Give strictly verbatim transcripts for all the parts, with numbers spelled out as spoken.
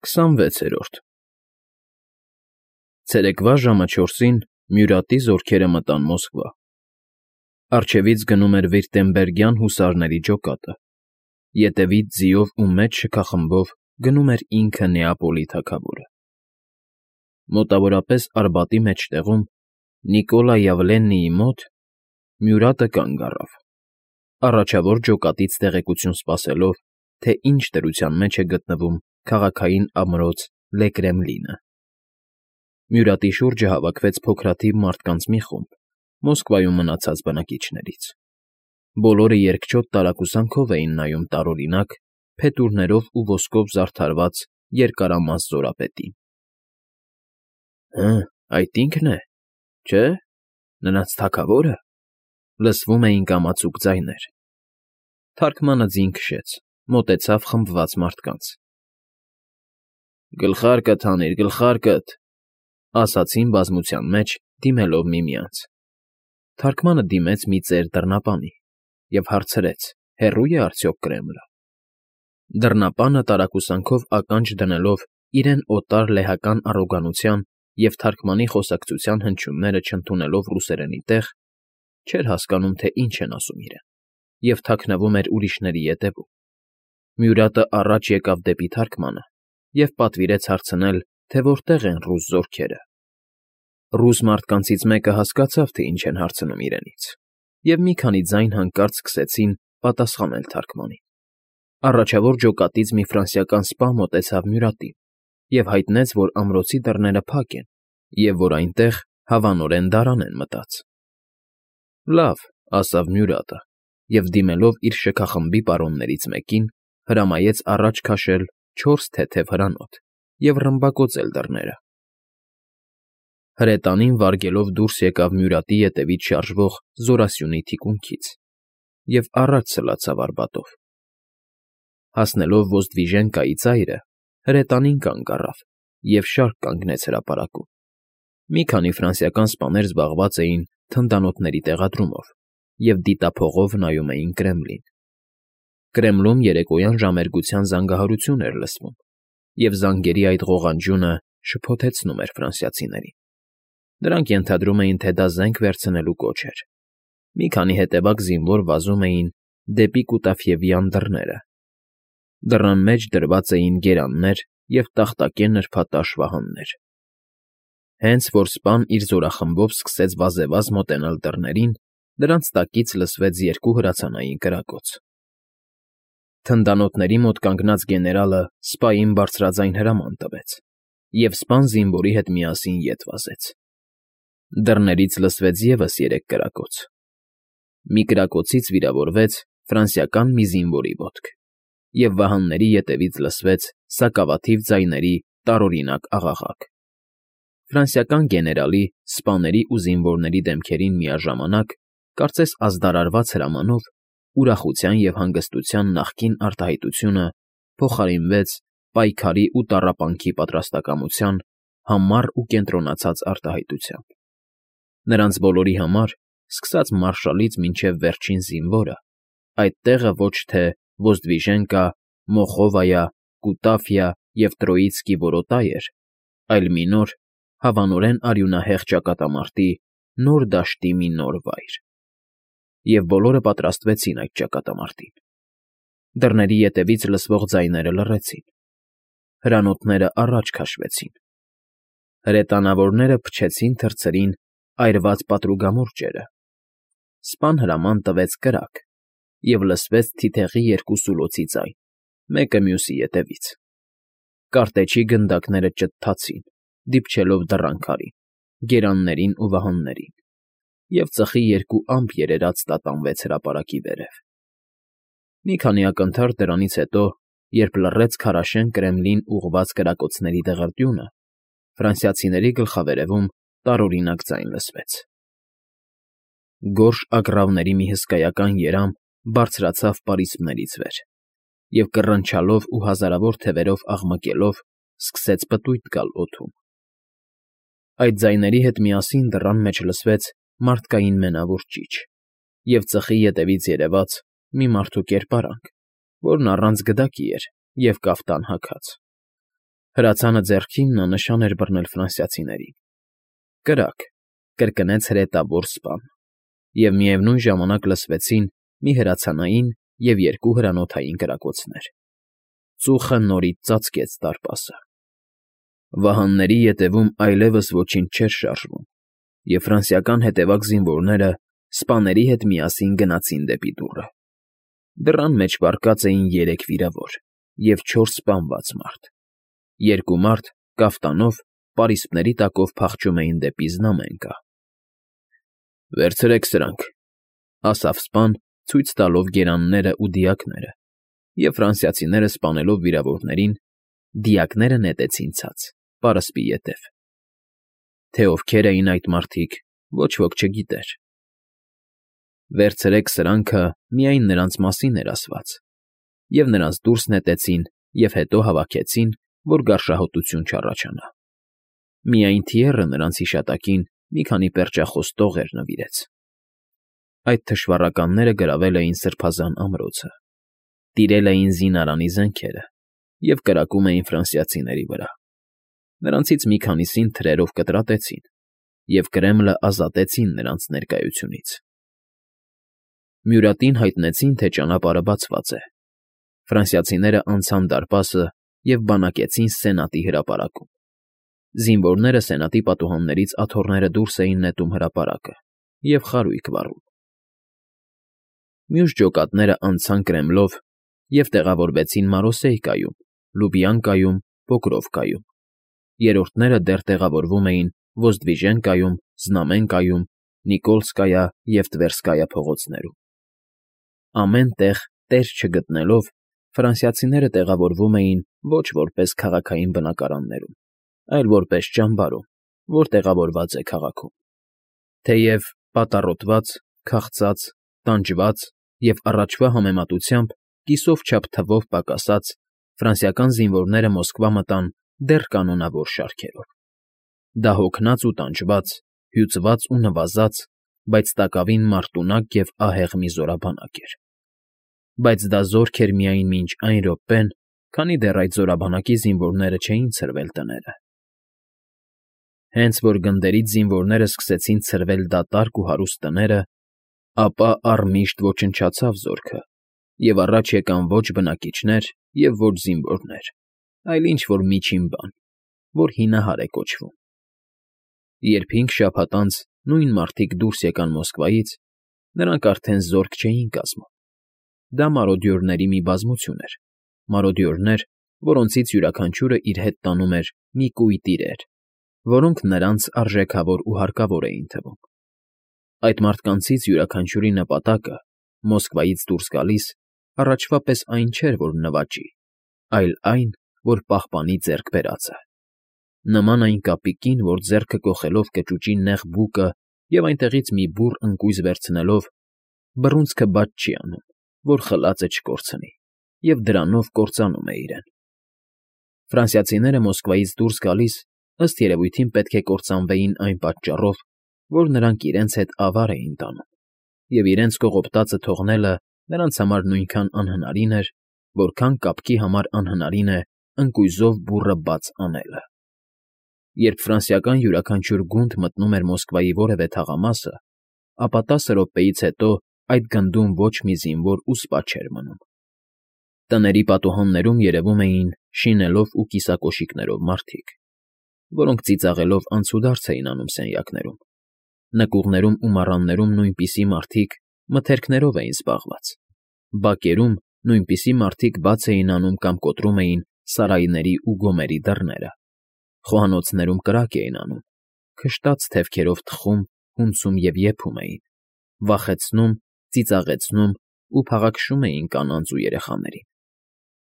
Քսանվեցերորդ Ցերեկվա ժամը չորսին Մյուրատի զորքերը մտան Մոսկվա. առջևից գնում էր վիրտեմբերգյան հուսարների ջոկատը, ետևից ձիով ու մեծ շքախմբով գնում էր ինքը Նեապոլի թագավորը։ Մոտավորապես Արբատի մեջտեղում, Նիկոլա Յավլեննիի մոտ, Մյուրատը կանգ առավ, առաջավոր ջոկատից տեղեկություն սպասելով, թե ինչ դրության մեջ է գտնվում քաղաքային ամրոց Լե Կրեմլինը։ Մյուրատի շուրջը հավաքվեց փոքրաթիվ մարդկանց մի խումբ Մոսկվայում մնացած բնակիչներից։ Բոլորը երկչոտ տարակուսանքով էին նայում տարօրինակ, փետուրներով ու ոսկով զարդարված երկարամաս զորապետին։ ֊ Հը, այդ ի՞նքն է, չէ՞, նրանց թագավո՞րը,֊ լսվում էին կամացուկ ձայներ։ Թարգմանը ձին քշեց, մոտեցավ խմբված մարդկանց։ ֊ Գլխարկդ հանիր, գլխարկդ,֊ ասացին բազմության մեջ, դիմելով միմյանց։ Թարգմանը դիմեց մի ծեր դռնապանի և հարցրեց. հեռո՞ւ է արդյոք Կրեմլը։ Դռնապանը տարակուսանքով ականջ դնելով իրեն օտար լեհական առոգանության և թարգմանի խոսակցության հնչյունները չընդունելով ռուսերենի տեղ, չէր հասկանում, թե ինչ են ասում իրեն, և թաքնվում էր ուրիշների ետևում։ Մյուրատը առաջ եկավ դեպի թարգմանը և պատվիրեց հարցնել, թե որտեղ են ռուս զորքերը։ Ռուս մարդկանցից մեկը հասկացավ, թե ինչ են հարցնում իրենից, և մի քանի ձայն հանկարծ սկսեցին պատասխանել թարգմանին։ Առաջավոր ջոկատից մի ֆրանսիական սպա մոտեցավ Մյուրատին և հայտնեց, որ ամրոցի դռները փակ են և որ այնտեղ հավանորեն դարան են մտած։ ֊ Լավ,֊ ասավ Մյուրատը և, դիմելով իր շքախմբի պարոններից մեկին, հրամայեց առաջ քաշել չորս թեթև հրանոթ և ռմբակոծել դռները։ Հրետանին վարգելով դուրս եկավ Մյուրատի ետևից շարժվող զորասյունի թիկունքից և առաջ սլացավ Արբատով։ Հասնելով Ոզդվիժենկայի ծայրը, հրետանին կանգ առավ և շարք կանգնեց հրապարակում։ Մի քանի ֆրանսիական սպաներ զբաղված էին թնդանոթների տեղադրումով և դիտափողով նայում էին Կրեմլին։ Կրեմլում երեկոյան ժամերգության զանգահարություն էր լսվում, և զանգերի այդ ղողանջյունը շփոթեցնում էր ֆրանսիացիներին։ Նրանք ենթադրում էին, թե դա զենք վերցնելու կոչ էր։ Մի քանի հետևակ զինվոր վազում էին դեպի Կուտաֆիևյան դռները։ Դռան մեջ դրված էին գերաններ և տախտակե նրբատաշ վահաններ։ Հենց որ սպան իր զորախմբով սկսեց վազեվազ մոտենալ դռներին, դրանց տակից լսվեց երկու հրացանային կրակոց։ Թնդանոթների մոտ կանգնած գեներալը սպային բարձրաձայն հրաման տվեց, և սպան զինվորի հետ միասին ետ վազեց։ Դռներից լսվեց ևս երեք կրակոց։ Մի կրակոցից վիրավորվեց ֆրանսիական մի զինվորի ոտք, և վահանների ետևից լսվեց սակավաթիվ ձայների տարօրինակ աղաղակ։ Ֆրանսիական գեներալի, սպաների ու զինվորների դեմքերին միաժամանակ, կարծես ազդարարված հրամանով, ուրախության և հանգստության նախկին արտահայտությունը փոխարինվեց պայքարի ու տառապանքի պատրաստակամության համառ ու կենտրոնացած արտահայտությամբ։ Նրանց բոլորի համար, սկսած մարշալից մինչև վերջին զինվորը, այդ տեղը ոչ թե Ոզդվիժենկա, Մոխովայա, Կուտաֆիա և Տրոիցկի որոտայ էր, այլ մի նոր, հավանորեն արյունահեղ ճակատամարտի նոր դաշտի մի նոր վայր։ Եվ բոլորը պատրաստվեցին այդ ճակատամարտին։ Դռների ետևից լսվող ձայները լռեցին։ Հրանոթները առաջ քաշվեցին։ Հրետանավորները փչեցին թռցրին այրված պատրուգամուրջերը։ Սպան հրաման տվեց կրակ, և լսվեց թիթեղի երկու սուլոցի ձայն, մեկը մյուսի ետևից։ Կարտեչի գնդակները ճթթացին, դիպչելով դռան քարին, գերաններին ու վահաններին, և ծխի երկու ամպ երերաց տատանվեց հրապարակի վերև։ Մի քանի ակնթարթ դրանից հետո, երբ լռեց քարաշեն Կրեմլին ուղղված կրակոցների դղրդյունը, ֆրանսիացիների գլխավերևում տարօրինակ ձայն լսվեց։ Գորշ ագռավների մի հսկայական երամ բարձրացավ պարիսպներից վեր և, կռնչալով ու հազարավոր թևերով աղմկելով, սկսեց պտույտ գալ օդում։ Այդ ձայների հետ միասին դռան մեջ լսվեց մարդկային մենավոր ճիչ և ծխի ետևից երևաց մի մարդու կերպարանք, որն առանց գդակի էր և կաֆտան հագած։ Հրացանը ձեռքին նա նշան էր բռնել ֆրանսիացիներին։ Կրակ, կրկնեց հրետավոր սպան, և միևնույն ժամանակ լսվեցին մի հրացանային և երկու հրանոթային կրակոցներ։ Ծուխը նորից ծածկեց դարպասը։ Վահանների ետևում այլևս ոչինչ չէր շարժվում, և ֆրանսիական հետևակ զինվորները սպաների հետ միասին գնացին դեպի դուռը։ Դռան մեջ վառկած էին երեք վիրավոր և չորս սպանված մարդ։ Երկու մարդ կաֆտանով, պարիսպների տակով փախչում էին դեպի znamenka։ «Վերցրեք սրանք», ասավ սպան, ցույց տալով գերաններն ու դիակները, և ֆրանսիացիները սպանելով վիրավորներին, դիակները նետեցին ցած, պարսպի ետև։ Թե ովքեր էին այդ մարդիկ, ոչ ոք չգիտեր։ «Վերցրեք սրանքը» միայն նրանց մասին էր ասված, և նրանց դուրս նետեցին և հետո հավաքեցին, որ գարշահոտություն չառաջանա։ Միայն Թիեռը նրանց հիշատակին մի քանի պերճախոս տողեր նվիրեց։ Այդ թշվառականները գրավել էին սրբազան ամրոցը, տիրել էին զինարանի զենքերը և կրակում էին ֆրանսիացիների վրա։ Նրանցից մի քանիսին թրերով կտրատեցին, և Կրեմլը ազատեցին նրանց ներկայությունից։ Մյուրատին հայտնեցին, թե ճանապարհը բացված է։ Ֆրանսիացիները անցան դարպասը և բանակեցին Սենատի հրապարակում։ Զինվորները Սենատի պատուհաններից աթոռները դուրս էին նետում հրապարակը և խարույկ վառում։ Մյուս ջոկատները անցան Կրեմլով և տեղավորվեցին Մարոսեյկայում, Լուբյանկայում, Պոկրովկայում։ Երրորդները դեռ տեղավորվում էին Ոզդվիժենկայում, Զնամենկայում, Նիկոլսկայա և Տվերսկայա փողոցներում։ Ամեն տեղ տեղ չգտնելով, ֆրանսիացիները տեղավորվում էին ոչ որպես քաղաքային բնակարաններում, այլ որպես ճամբարում, որ տեղավորված է քաղաքում։ Թեև պատառոտված, քաղցած, տանջված և առաջվա համեմատությամբ կիսով չափ թվով պակասած, ֆրանսիական զինվորները Մոսկվա մտան դեռ կանոնավոր շարքերով։ Դա հոգնած ու տանջված, հյուծված ու նվազած, բայց տակավին մարտունակ և ահեղ մի զորաբանակ էր։ Բայց դա զորք էր միայն մինչ այն րոպեն, քանի դեռ այդ զորաբանակի զինվորները չէին ցրվել տները։ Հենց որ գնդերից զինվորները սկսեցին ցրվել դատարկ ու հարուստ տները, ապա առմիշտ ոչնչացավ զորքը, և առաջ եկան ոչ բնակիչներ և ոչ զինվորներ, այլ ինչ֊որ միջին բան, որ հինահար է կոչվում։ Երբ հինգ շաբաթ անց նույն մարդիկ դուրս եկան Մոսկվայից, նրանք արդեն զորք չէին կազմում։ Դա մարոդյորների մի բազմություն էր, մարոդյորներ, որոնցից յուրաքանչյուրը իր հետ տանում էր մի կույտ իրեր, որոնք նրանց արժեքավոր ու հարկավոր էին թվում։ Այդ մարդկանցից յուրաքանչյուրի նպատակը, Մոսկվայից դուրս գալիս, առաջվա պես այն չէր, որ նվաճի, այլ այն, որ պահպանի ձեռք բերածը։ Նման այն կապիկին, որ ձեռքը կոխելով կճուճի նեղ բուկը և այնտեղից մի բուռ ընկույզ վերցնելով, բռունցքը բաց չի անում, որ խլածը չկորցնի, և դրանով կործանում է իրեն։ Ֆրանսիացիները Մոսկվայից դուրս գալիս, ըստ երևույթին պետք է կործանվեին այն պատճառով, որ նրանք իրենց հետ ավար էին տանում, և իրենց կողոպտածը թողնելը նրանց համար նույնքան անհնարին էր, որքան կապկի համար անհնարին է ընկույզով բուռը բաց անելը։ Երբ ֆրանսիական յուրաքանչյուր գունդ մտնում էր Մոսկվայի որևէ թաղամասը, ապա տասը րոպեից հետո այդ գնդում ոչ մի զինվոր ու սպա չէր մնում։ Տների պատուհաններում երևում էին շինելով ու կիսակոշիկներով մարդիկ, որոնք ծիծաղելով անցուդարձ էին անում սենյակներում։ Նկուղներում ու մառաններում նույնպիսի մարդիկ մթերքներով էին զբաղված։ Բակերում նույնպիսի մարդիկ բաց էին անում կամ կոտրում էին սարայների ու գոմերի դռները։ Խոհանոցներում կրակ էին անում, քշտաց թևքերով թխում, հունցում և եփում էին, վախեցնում, ծիծաղեցնում ու փաղաքշում էին կանանց ու երեխաներին։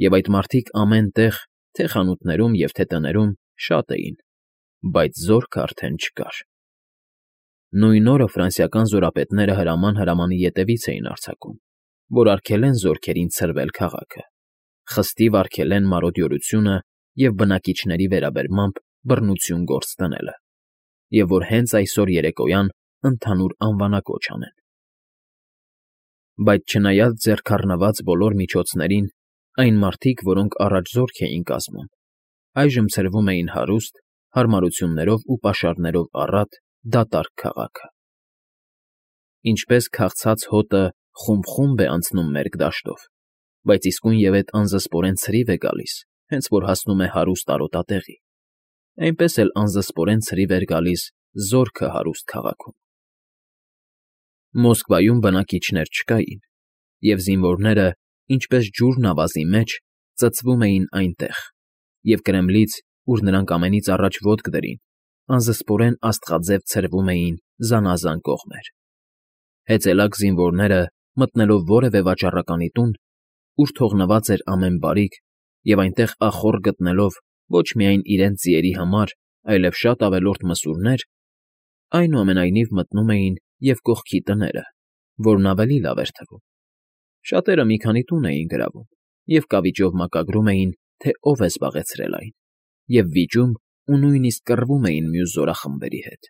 Եվ այդ մարդիկ ամեն տեղ, թե խանութներում և թե տներում, շատ էին, բայց զորքն արդեն չկար։ Նույն օրը ֆրանսիական զորապետները հրաման֊հրամանի ետևից էին արձակում, որ արգելեն զորքերին ցրվել քաղաքը, խստիվ արգելեն մարոդյորությունը և բնակիչների վերաբերմամբ բռնություն գործ դնելը, և որ հենց այսօր երեկոյան ընդհանուր անվանակոչ անեն։ Բայց չնայած ձեռքառնված բոլոր միջոցներին, այն մարդիկ, որոնք առաջ զորք էին կազմում, այժմ ցրվում էին հարուստ, հարմարություններով ու պաշարներով առատ, դատարկ քաղաքը։ Ինչպես քաղցած հոտը խումբ֊խումբ է անցնում մերկ դաշտով, բայց իսկույն ետ անզսպորեն ցրիվ է գալիս, հենց որ հասնում է հարուստ արոտատեղի, այնպես էլ անզսպորեն ցրիվ էր գալիս զորքը հարուստ քաղաքում։ Մոսկվայում բնակիչներ չկային, և զինվորները, ինչպես ջուրն ավազի մեջ, ծծվում էին այնտեղ, և Կրեմլից, ուր նրանք ամենից առաջ ոտք դրին, անզսպորեն աստղաձև ցրվում էին զանազան կողմեր։ Հեծելակ զինվորները, մտնելով որևէ վաճառականի տուն, ուր թողնված էր ամեն բարիք, և այնտեղ ախոռ գտնելով ոչ միայն իրենց ձիերի համար, այլև շատ ավելորդ մսուրներ, այնուամենայնիվ մտնում էին և կողքի տները, որն ավելի լավ էր թվում։ Շատերը մի քանի տուն էին գրավում և կավիճով մակագրում էին, թե ով է զբաղեցրել այն, և վիճում ու նույնիսկ կռվում էին մյուս զորախմբերի հետ։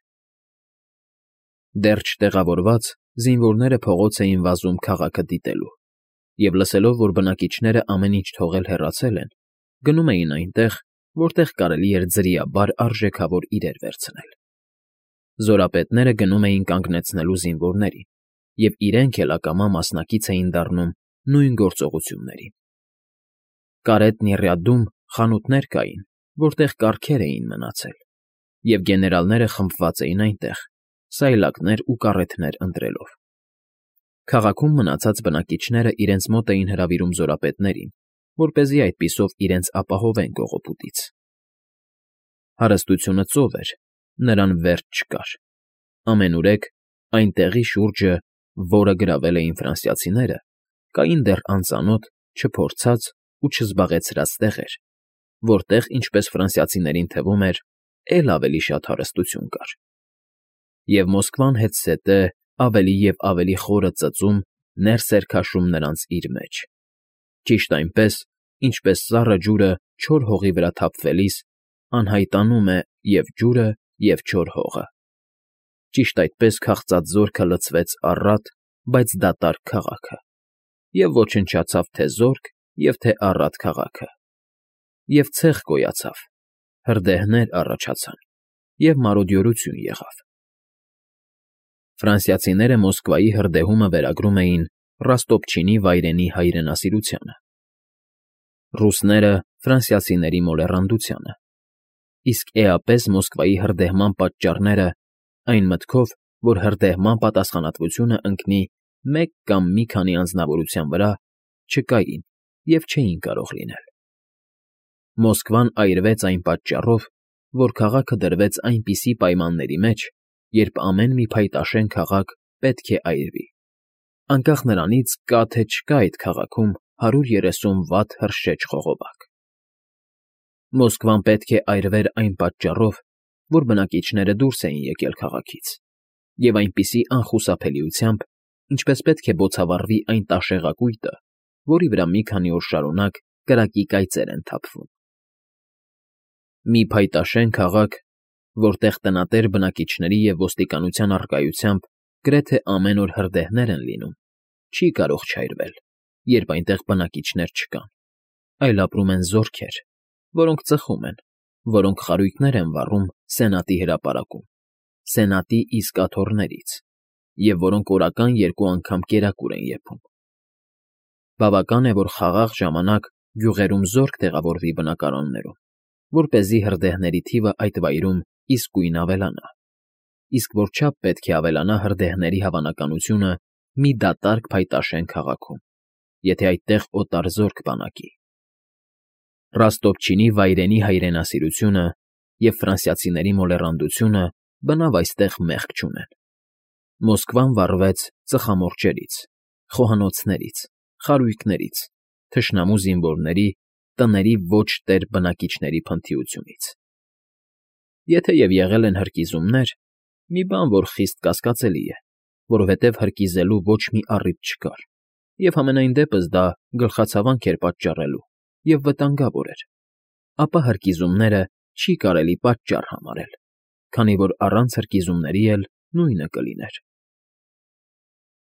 Դեռ չտեղավորված, զինվորները փողոց էին վազում քաղաքը դիտելու, և լսելով, որ բնակիչները ամեն ինչ թողել հեռացել են, գնում էին այնտեղ, որտեղ կարելի էր ձրիաբար արժեքավոր իրեր վերցնել։ Զորապետները գնում էին կանգնեցնելու զինվորներին, և իրենք էլ ակամա մասնակից էին դառնում նույն գործողություններին։ Կարետ Նիռյադում խանութներ կային, որտեղ կառքեր էին մնացել, և գեներալները խմբված էին այնտեղ, սայլակներ ու կառեթներ ընտրելով։ Քաղաքում մնացած բնակիչները իրենց մոտ էին հրավիրում զորապետներին, որպեսզի այդպիսով իրենց ապահովեն կողոպուտից։ Հարստությունը ծով էր, նրան վերջ չկար։ Ամենուրեք այն տեղի շուրջը, որը գրավել էին ֆրանսիացիները, կային դեռ անծանոթ, չփորձած ու չզբաղեցրած տեղեր, որտեղ, ինչպես ֆրանսիացիներին թվում էր, էլ ավելի շատ հարստություն կար։ Եվ Մոսկվան հետզհետե ավելի և ավելի խորը ծծում, ներս էր քաշում նրանց իր մեջ, ճիշտ այնպես, ինչպես սառը ջուրը չոր հողի վրա թափվելիս անհայտանում է և՛ ջուրը, և՛ չոր հողը։ Ճիշտ այդպես քաղցած զորքը լցվեց առատ, բայց դատարկ քաղաքը, և ոչնչացավ թե զորք և թե առատ քաղաքը, և ցեխ գոյացավ, հրդեհներ առաջացան, և մարոդյորություն եղավ։ Ֆրանսիացիները Մոսկվայի հրդեհումը վերագրում էին Ռոստոպչինի վայրենի հայրենասիրությանը, ռուսները՝ ֆրանսիացիների մոլեռանդությանը, իսկ էապես Մոսկվայի հրդեհման պատճառները, այն մտքով, որ հրդեհման պատասխանատվությունը ընկնի մեկ կամ մի քանի անձնավորության վրա, չկային և չէին կարող լինել։ Մոսկվան այրվեց այն պատճառով, որ քաղաքը դրվեց այնպիսի պայմանների մեջ, երբ ամեն մի փայտաշեն քաղաք պետք է այրվի, անկախ նրանից կա թե չկա այդ քաղաքում հարյուր երեսուն վատ հրշեջ խողովակ։ Մոսկվան պետք է այրվեր այն պատճառով, որ բնակիչները դուրս էին եկել քաղաքից, և այնպիսի անխուսափելիությամբ, ինչպես պետք է բոցավառվի այն տաշեղակույտը, որի վրա մի քանի օր շարունակ կրակի կայծեր են թափվում։ Մի փայտաշեն քաղաք, որտեղ տնատեր բնակիչների և ոստիկանության առկայությամբ գրեթե ամեն օր հրդեհներ են լինում, չի կարող չայրվել, երբ այնտեղ բնակիչներ չկան, այլ ապրում են զորքեր, որոնք ծխում են, որոնք խարույկներ են վառում Սենատի հրապարակում, Սենատի իսկ աթոռներից, և որոնք օրական երկու անգամ կերակուր են եփում։ Բավական է, որ խաղաղ ժամանակ գյուղերում զորք տեղավորվի բնակարաններում, որպեսզի հրդեհների թիվը այդ վայրում իսկույն ավելանա, իսկ որչափ պետք է ավելանա հրդեհների հավանականությունը մի դատարկ փայտաշեն քաղաքում, եթե այդտեղ օտար զորք բանակի։ Ռոստոպչինի վայրենի հայրենասիրությունը և ֆրանսիացիների մոլեռանդությունը բնավ այստեղ մեղք չունեն։ Մոսկվան վառվեց ծխամորճերից, խոհանոցներից, խարույկներից, թշնամու զինվորների, տների ոչ տեր բնակիչների փնթիությունից։ Եթե և եղել են հրկիզումներ, մի բան, որ խիստ կասկածելի է, որովհետև հրկիզելու ոչ մի առիթ չկար, և համենայն դեպս դա գլխացավանք էր պատճառելու և վտանգավոր էր, ապա հրկիզումները չի կարելի պատճառ համարել, քանի որ առանց հրկիզումների էլ նույնը կլիներ։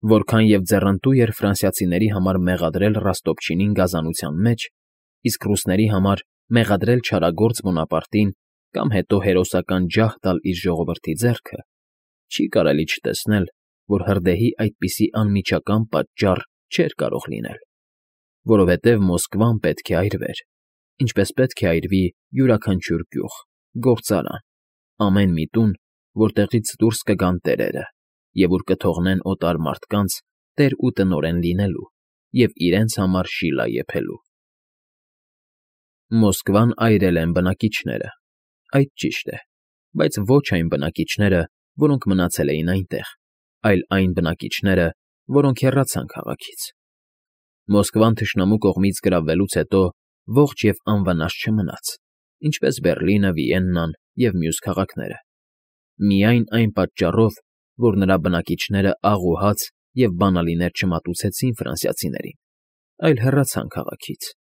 Որքան և ձեռնտու էր ֆրանսիացիների համար մեղադրել Ռոստոպչինին գազանության մեջ, իսկ ռուսների համար մեղադրել չարագործ Բոնապարտին կամ հետո հերոսական ջահ տալ իր ժողովրդի ձեռքը, չի կարելի չտեսնել, որ հրդեհի այդպիսի անմիջական պատճառ չէր կարող լինել, որովհետև Մոսկվան պետք է այրվեր, ինչպես պետք է այրվի յուրաքանչյուր գյուղ, գործարան, ամեն մի տուն, որտեղից դուրս կգան տերերը և ուր կթողնեն օտար մարդկանց տեր ու տնօրեն լինելու և իրենց համար շիլա եփելու։ Մոսկվան այրել են բնակիչները, այդ ճիշտ է, բայց ոչ այն բնակիչները, որոնք մնացել էին այնտեղ, այլ այն բնակիչները, որոնք հեռացան քաղաքից։ Մոսկվան թշնամու կողմից գրավվելուց հետո ողջ և անվնաս չմնաց, ինչպես Բեռլինը, Վիեննան և մյուս քաղաքները, միայն այն պատճառով, որ նրա բնակիչները աղ ու հաց և բանալիներ չմատուցեցին ֆրանսիացիներին, այլ հեռացան քաղաքից։